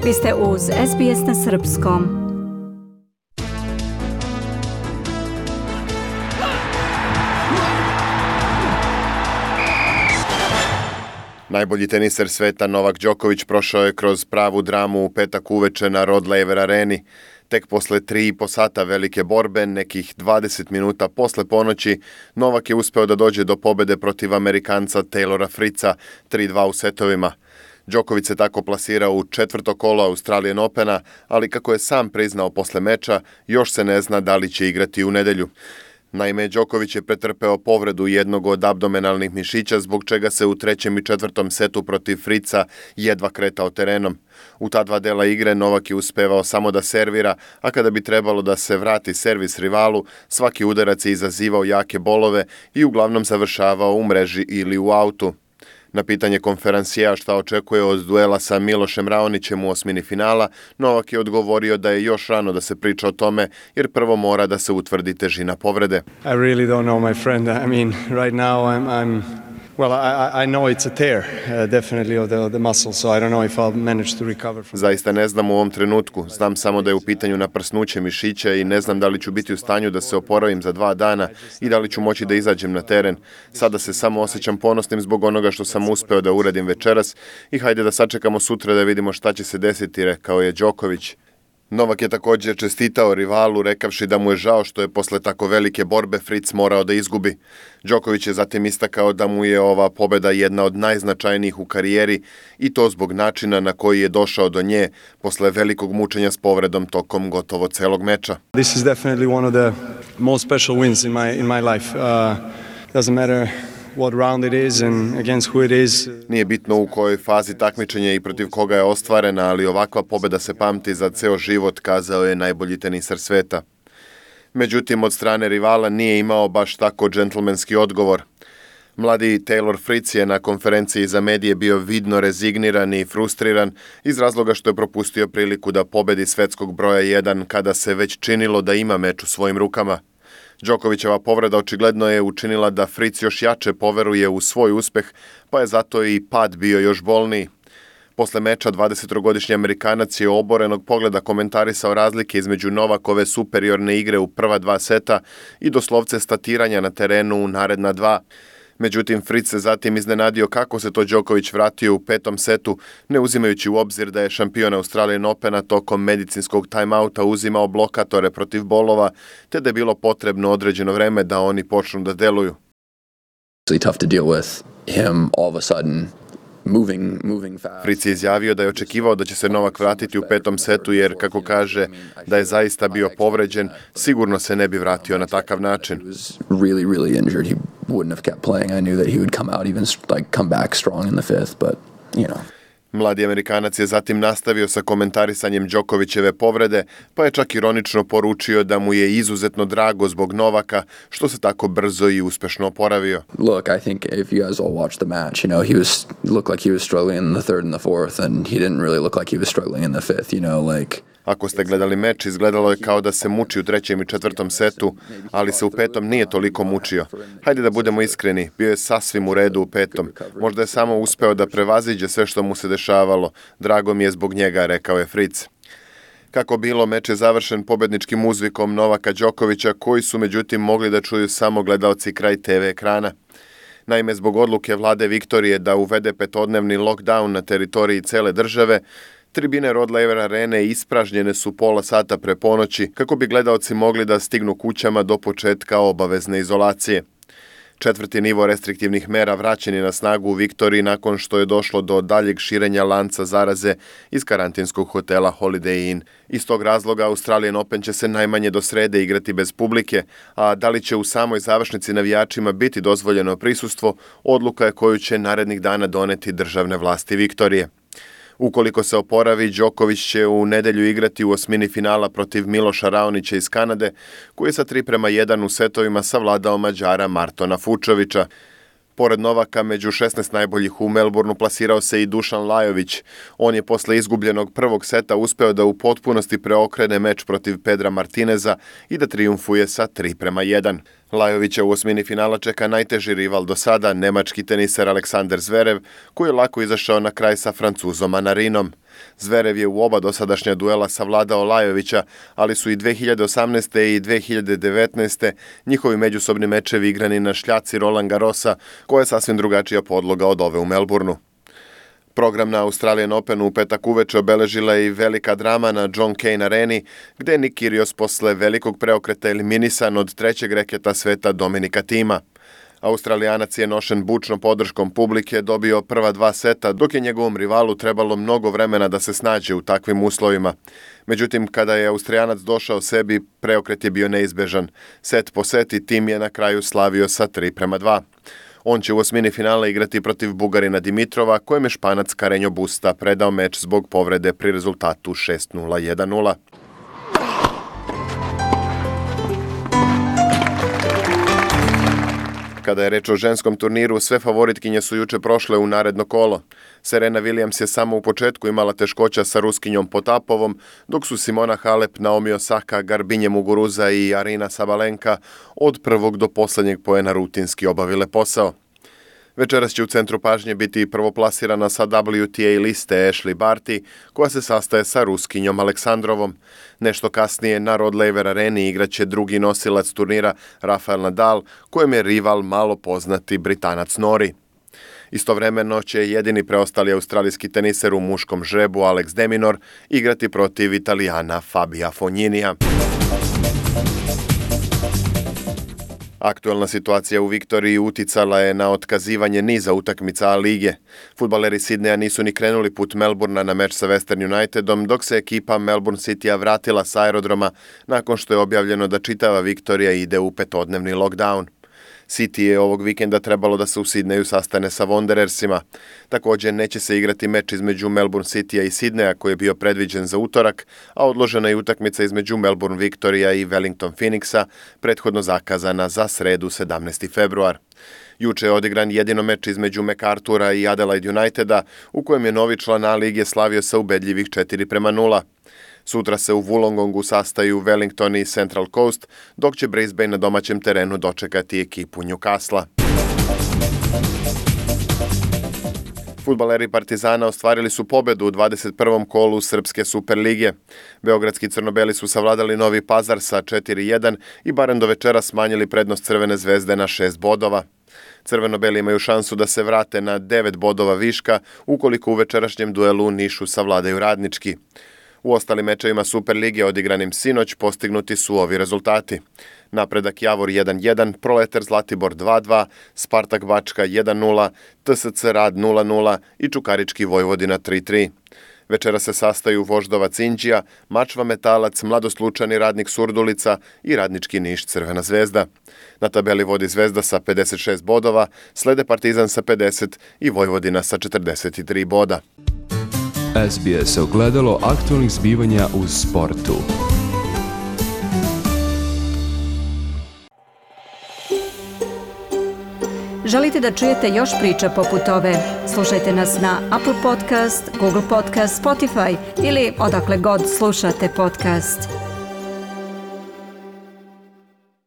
Vi ste uz SBS na srpskom. Najbolji teniser sveta Novak Đoković prošao je kroz pravu dramu u petak uveče na Rod Laver areni. Tek posle 3,5 sata velike borbe, nekih 20 minuta posle ponoći, Novak je uspeo da dođe do pobede protiv Amerikanca Taylora Fritza 3-2 u setovima. Đoković se tako plasirao u četvrto kolo Australian Opena, ali kako je sam priznao posle meča, još se ne zna da li će igrati u nedelju. Naime, Đoković je pretrpeo povredu jednog od abdomenalnih mišića, zbog čega se u trećem i četvrtom setu protiv Fritza jedva kretao terenom. U ta dva dela igre Novak je uspevao samo da servira, a kada bi trebalo da se vrati servis rivalu, svaki udarac je izazivao jake bolove i uglavnom završavao u mreži ili u autu. Na pitanje konferencija šta očekuje od duela sa Milošem Raonićem u osmini finala, Novak je odgovorio da je još rano da se priča o tome, jer prvo mora da se utvrdi težina povrede. I really don't know, my friend. I mean, right now I know it's a tear, definitely of the muscle, so I don't know if I'll manage to recover from. Zaista ne znam u ovom trenutku. Znam samo da je u pitanju naprsnuće mišića i ne znam da li ću biti u stanju da se oporavim za 2 dana i da li ću moći da izađem na teren. Sada se samo osjećam ponosnim zbog onoga što sam uspeo da uradim večeras i hajde da sačekamo sutra da vidimo šta će se desiti, rekao je Đoković. Novak je također čestitao rivalu rekavši da mu je žao što je posle tako velike borbe Fritz morao da izgubi. Đoković je zatim istakao da mu je ova pobeda jedna od najznačajnijih u karijeri i to zbog načina na koji je došao do nje posle velikog mučenja s povredom tokom gotovo celog meča. This is definitely one of the most special wins in my life. Doesn't matter what round it is and against who it is. Nije bitno u kojoj fazi takmičenja i protiv koga je ostvarena, ali ovakva pobeda se pamti za ceo život, kazao je najbolji tenisar sveta. Međutim, od strane rivala nije imao baš tako džentlmenski odgovor. Mladi Taylor Fritz je na konferenciji za medije bio vidno rezigniran i frustriran iz razloga što je propustio priliku da pobedi svetskog broja 1 kada se već činilo da ima meč u svojim rukama. Đokovićeva povreda očigledno je učinila da Fritz još jače poveruje u svoj uspeh, pa je zato i pad bio još bolniji. Posle meča 23-godišnji Amerikanac je oborenog pogleda komentarisao razlike između Novakove superiorne igre u prva 2 seta i doslovce statiranja na terenu u naredna 2. Međutim, Fritz se zatim iznenadio kako se to Đoković vratio u 5. setu, ne uzimajući u obzir da je šampion Australian Opena tokom medicinskog timeouta uzimao blokatore protiv bolova, te da je bilo potrebno određeno vreme da oni počnu da deluju. Tough to deal with him all of a sudden moving fast. Fritz je izjavio da je očekivao da će se Novak vratiti u 5. setu jer, kako kaže, da je zaista bio povređen, sigurno se ne bi vratio na takav način. Really injured. He wouldn't have kept playing. I knew that he would come back strong in the 5th, but Mladi Amerikanac je zatim nastavio sa komentarisanjem Đokovićeve povrede, pa je čak ironično poručio da mu je izuzetno drago zbog Novaka, što se tako brzo i uspešno oporavio. Look, I think if you guys all watched the match, he looked like he was struggling in the 3rd and the 4th, and he didn't really look like he was struggling in the 5th, Ako ste gledali meč, izgledalo je kao da se muči u 3. i 4. setu, ali se u 5. nije toliko mučio. Hajde da budemo iskreni, bio je sasvim u redu u 5. Možda je samo uspeo da prevaziđe sve što mu se dešavalo. Drago mi je zbog njega, rekao je Fritz. Kako bilo, meč je završen pobedničkim uzvikom Novaka Đokovića, koji su međutim mogli da čuju samo gledaoci kraj TV ekrana. Naime, zbog odluke vlade Viktorije da uvede 5-dnevni lockdown na teritoriji cele države, tribine Rod Laver arene ispražnjene su pola sata pre ponoći kako bi gledaoci mogli da stignu kućama do početka obavezne izolacije. 4. nivo restriktivnih mera vraćen je na snagu u Viktoriji nakon što je došlo do daljeg širenja lanca zaraze iz karantinskog hotela Holiday Inn. Iz tog razloga Australian Open će se najmanje do srede igrati bez publike, a da li će u samoj završnici navijačima biti dozvoljeno prisustvo, odluka je koju će narednih dana doneti državne vlasti Viktorije. Ukoliko se oporavi, Đoković će u nedelju igrati u osmini finala protiv Miloša Raonića iz Kanade, koji je sa 3:1 u setovima savladao Mađara Martona Fučovića. Pored Novaka, među 16 najboljih u Melbourneu plasirao se i Dušan Lajović. On je posle izgubljenog prvog seta uspeo da u potpunosti preokrene meč protiv Pedra Martineza i da trijumfuje sa 3:1. Lajovića u osmini finala čeka najteži rival do sada, nemački teniser Aleksander Zverev, koji je lako izašao na kraj sa Francuzom Manarinom. Zverev je u oba dosadašnja duela savladao Lajovića, ali su i 2018. i 2019. njihovi međusobni mečevi igrani na šljaci Roland Garrosa, koja je sasvim drugačija podloga od ove u Melbourneu. Program na Australian Openu u petak uveče obeležila je i velika drama na John Cain areni, gde je Nick Kyrgios posle velikog preokreta eliminisan od trećeg reketa sveta Dominika Thima. Australijanac je nošen bučnom podrškom publike dobio prva 2 seta, dok je njegovom rivalu trebalo mnogo vremena da se snađe u takvim uslovima. Međutim, kada je Austrijanac došao sebi, preokret je bio neizbežan. Set po set i Thiem je na kraju slavio sa 3:2. On će u osmini finala igrati protiv Bugarina Dimitrova, kojem je Španac Carreño Busta predao meč zbog povrede pri rezultatu 6:0-1:0. Kada je reč o ženskom turniru, sve favoritkinje su juče prošle u naredno kolo. Serena Williams je samo u početku imala teškoća sa Ruskinjom Potapovom, dok su Simona Halep, Naomi Osaka, Garbinje Muguruza i Arina Sabalenka od prvog do poslednjeg poena rutinski obavile posao. Večeras će u centru pažnje biti prvoplasirana sa WTA liste Ashley Barty, koja se sastaje sa Ruskinjom Aleksandrovom. Nešto kasnije na Rod Laver areni igraće drugi nosilac turnira Rafael Nadal, kojem je rival malo poznati Britanac Norrie. Istovremeno će jedini preostali australijski teniser u muškom žrebu Alex de Minaur igrati protiv Italijana Fabia Fogninija. Aktuelna situacija u Viktoriji uticala je na otkazivanje niza utakmica A lige. Fudbaleri Sidneja nisu ni krenuli put Melbournea na meč sa Western Unitedom, dok se ekipa Melbourne Citya vratila sa aerodroma nakon što je objavljeno da čitava Viktorija ide u 5-dnevni lockdown. City je ovog vikenda trebalo da se u Sidneju sastane sa Wanderersima. Također neće se igrati meč između Melbourne Citya i Sidneja koji je bio predviđen za utorak, a odložena je utakmica između Melbourne Victoria i Wellington Phoenixa, prethodno zakazana za sredu 17. februar. Juče je odigran jedino meč između MacArthura i Adelaide Uniteda, u kojem je novi član A lige slavio sa ubedljivih 4:0. Sutra se u Wollongongu sastaju Wellington i Central Coast, dok će Brisbane na domaćem terenu dočekati ekipu Newcastle. Fudbaleri Partizana ostvarili su pobedu u 21. kolu Srpske Superlige. Beogradski crnobeli su savladali Novi Pazar sa 4:1 i barem do večera smanjili prednost Crvene zvezde na 6 bodova. Crveno-beli imaju šansu da se vrate na 9 bodova viška ukoliko u večerašnjem duelu u Nišu savladaju Radnički. U ostalim mečevima Superlige odigranim sinoć postignuti su ovi rezultati. Napredak Javor 1:1, Proletar Zlatibor 2:2, Spartak Bačka 1:0, TSC Rad 0:0 i Čukarički Vojvodina 3:3. Večera se sastaju Voždovac Inđija, Mačva Metalac, Mladoslučani Radnik Surdulica i Radnički Niš Crvena zvezda. Na tabeli vodi Zvezda sa 56 bodova, slede Partizan sa 50 i Vojvodina sa 43 boda. SBS ogledalo aktualnih zbivanja u sportu. Želite da čujete još priča poput ove? Slušajte nas na Apple Podcast, Google Podcast, Spotify ili odakle god slušate podcast.